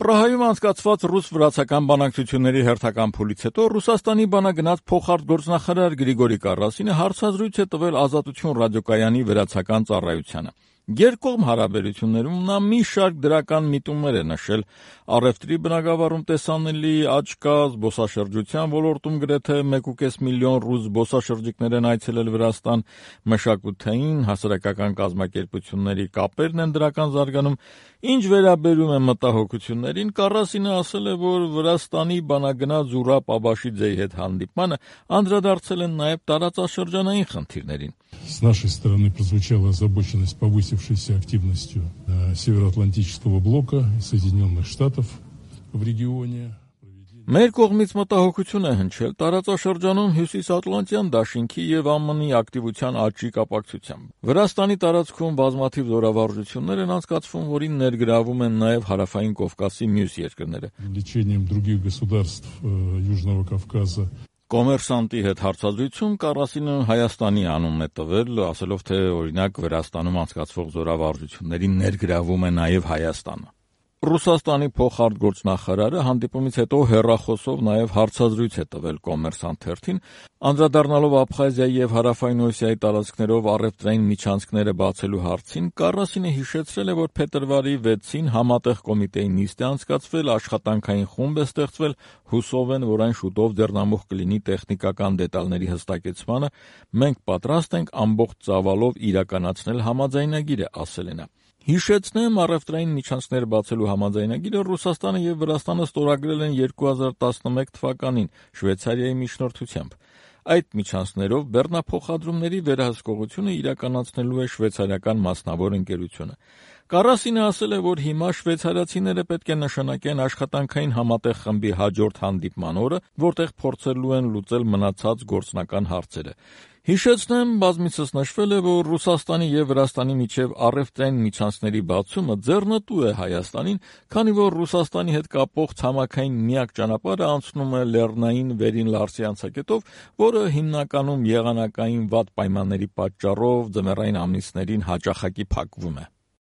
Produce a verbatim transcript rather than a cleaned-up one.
Պրահայում անցկացված ռուս-վրացական բանակցությունների հերթական փուլից հետո Ռուսաստանի բանագնաց փոխարտգործնախարար Գրիգորի Կարասինը հարցազրույց է տվել Ազատություն ռադիոկայանի վերացական ծառայությանը։ Երկկողմ հարաբերություններում նա մի շարք դրական միտումներ է նշել առևտրի բնագավառում տեսանելի աճ կա, զբոսաշրջության ոլորտում գրեթե մեկ ու կես միլիոն ռուս զբոսաշրջիկներ են այցելել Վրաստան, մշակութային, հասարակական կազմակերպությունների կապերն են դրական զարգանում։ Ինչ վերաբերում է մտահոգություններին, Կարասինը ասել է, որ Վրաստանի բանագնաց Զուրաբ Աբաշիձեի հետ հանդիպմանը անդրադարձել են նաև տարածաշրջանային խնդիրներին։ С нашей стороны прозвучала озабоченность повысившейся активностью Североатлантического блока и Соединенных Штатов в регионе. Մեր կողմից մտահոգություն է հնչել տարածաշրջանում Հյուսիսատլանտյան դաշինքի եւ ԱՄՆ-ի ակտիվության աճի կապակցությամբ։ Վրաստանի տարածքում բազմաթիվ զորավարժություններ են անցկացվում, որին ներգրավում են նաև Հարավային Կովկասի մյուս երկրները։ Привлечением других государств Южного Кавказа. Կոմերսանտի հետ հարցազրույցում Կարասինը Հայաստանի անունն է տվել, ասելով, թե օրինակ Վրաստանում անցկացվող զորավարժություններին ներգրավում է նաև Հայաստանը։ Ռուսաստանի փոխարտգործնախարարը հանդիպումից հետո հեռախոսով նաև հարցազրույց է տվել Կոմերսանտ թերթին, անդրադառնալով Աբխազիայի եւ Հարավային Օսիայի տարածքներով առևտրային միջանցքները բացելու հարցին, Կարասինը հիշեցրել է, որ փետրվարի վեցին համատեղ կոմիտեի նիստ է անցկացվել, աշխատանքային խումբ է ստեղծվել, հուսով են, որ այն շուտով ձեռնամուխ կլինի տեխնիկական դետալների հստակեցմանը, մենք պատրաստ ենք ամբողջ ծավալով իրականացնել համաձայնագիրը, ասել է նա։ Հիշեցնեմ, առևտրային միջանցքներ բացելու համաձայնագիրը Ռուսաստանը եւ Վրաստանը ստորագրել են երկու հազար տասնմեկ թվականին Շվեյցարիայի միջնորդությամբ։ Այդ միջանցքներով բեռնափոխադրումների վերահսկողությունը իրականացնելու է շվեյցարիական մասնավոր ընկերությունը։ Կարասինը ասել է, որ հիմա շվեյցարացիները պետք է նշանակեն աշխատանքային համատեղ խմբի հաջորդ հանդիպման օրը, որտեղ փորձելու են լուծել մնացած գործնական հարցերը։ Հիշեցնեմ, բազմիցս նշվել է, որ Ռուսաստանի եւ Վրաստանի միջև առևտրային միջանցքների բացումը ձեռնտու է Հայաստանին, քանի որ Ռուսաստանի հետ կապող ցամաքային միակ ճանապարհը անցնում է Լեռնային Վերին Լարսի անցակետով, որը հիմնականում եղանակային վատ պայմանների պատճառով ձմեռային ամիսներին հաճախակի փակվում է։